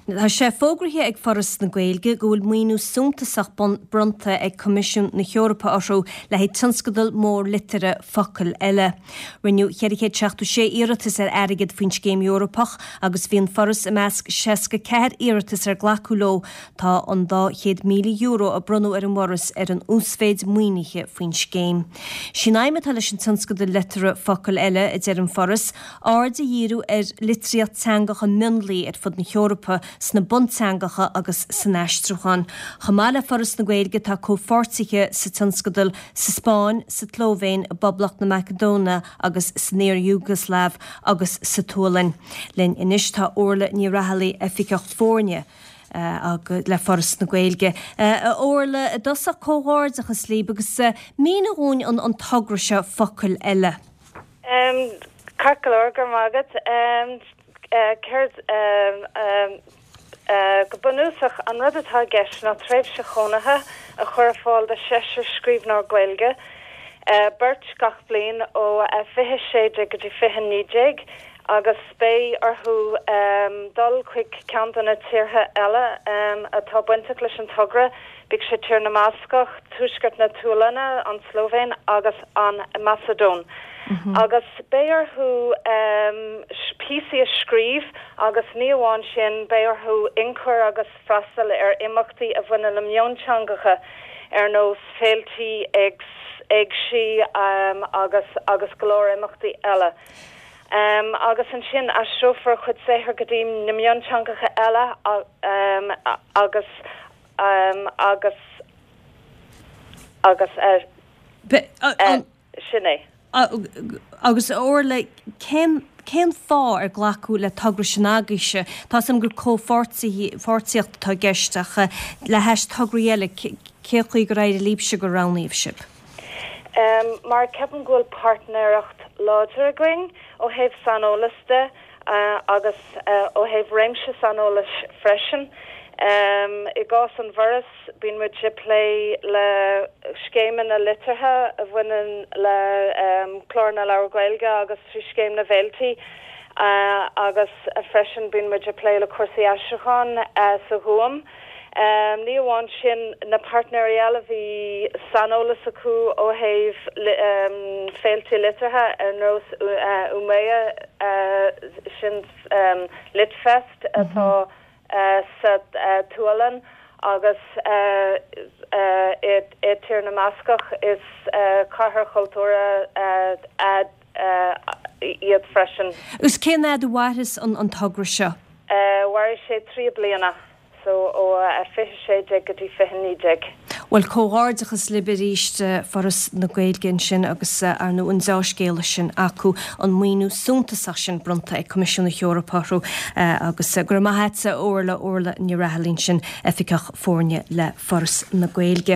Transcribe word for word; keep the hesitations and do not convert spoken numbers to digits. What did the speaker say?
Tá sé fógraithe ag Foras na Gaeilge go bhfuil maoiniú suntasach bronnta ag Coimisiún na hEorpa orthu le haghaidh tionscadal mór liteartha Focail Eile. Rinneadh ceithre chéad seachtó sé iarratas ar airgead faoin scéim Eorpach agus bhí an Foras i measc seasca ceathair iarratas ar glacadh leo. Tá an dá chéad míle euro a bronnadh ar an bhForas ar an uasmhéid maoinithe faoin scéim. Is í an aidhm atá leis an tionscadal liteartha Focail Eile, a deir an Foras, aird a dhíriú ar litríocht teangacha mionlaigh ar fud na hEorpa, sna bunteangacha agus san aistriúchán. Chomh maith le Foras na Gaeilge tá comhpháirtithe sa tionscadal sa Spáinn, sa tSlóivéin, i bPoblacht na Macadóine agus san iar-Iúgaslaiv agus sa tSualainn. Linn anois tá Orla Ní Raghallaigh, Oifigeach Foirne le Foras na Gaeilge. A Orla, i dtosach comhghairdeachas libh agus mínigh dhúinn an togra seo Focail Eile. Ceart go leor, go raibh maith agat. Céard, go bunúsach, an rud atá i gceist ná tréimhse chónaithe a chur ar fáil do sheisear scríbhneoir Gaeilge, beirt gach bliain ó fiche sé déag go dtí fiche naoi déag, agus beidh orthu dul chuig ceann de na tíortha eile atá bainteach leis an togra, bíodh sé Tír na mBascach, Tuaisceart na Sualainne, an tSlóivéin agus an Macadóin. Agus beidh orthu píosaí a scríobh agus ní amháin sin, beidh orthu ionchur agus freastal ar imeachtaí a bhaineann le mionteangacha ar nós féiltí, éigsí agus agus go leor imeachtaí eile. Agus ansin aistreofar a chuid saothair go dtí na mionteangacha eile agus agus agus sin é. Agus a Orla, cén cén fáth ar glacadh le togra sin agaibhse? Tá 'fhios a'm gur comhpháirtíocht atá i gceist ach le hais tograí eile, cén chaoi gur éirigh libhse gur roghnaíodh sibh? Mar ceapaim go bhfuil páirtnéireacht láidir againn ó thaobh saineolas de agus ó thaobh réimse saineolais freisin. I gcás an bhForais, bíonn muid ag plé le scéimeanna liteartha a bhaineann le Clár na Leabhar Gaeilge agus trí Scéim na bhFéiltí agus freisin bíonn muid ag plé le cúrsaí aistriúcháin sa Ghúm. Ní amháin sin, na páirtnéirí eile, bhí saineolas acu ó thaobh féilte liteartha ar nós Umeå, sin Litfest atá sa tSualainn agus i Tír na mBascach, is cathair chultúrtha iad freisin. Agus cén fhad a mhairfeas an togra seo? Mairfidh sé trí bliana, so ó fiche sé déag go dtí fiche naoi déag. Bhuel, comhghairdeachas libh arís, Foras na Gaeilge ansin agus ar ndóigh an deá-scéala sin acu, an maoiniú suntasach sin bronnta ag Coimisiún na hEorpa orthu agus go raibh maith a't, a Orla, Orla Ní Raghallaigh ansin, Oifigeach Foirne le Foras na Gaeilge.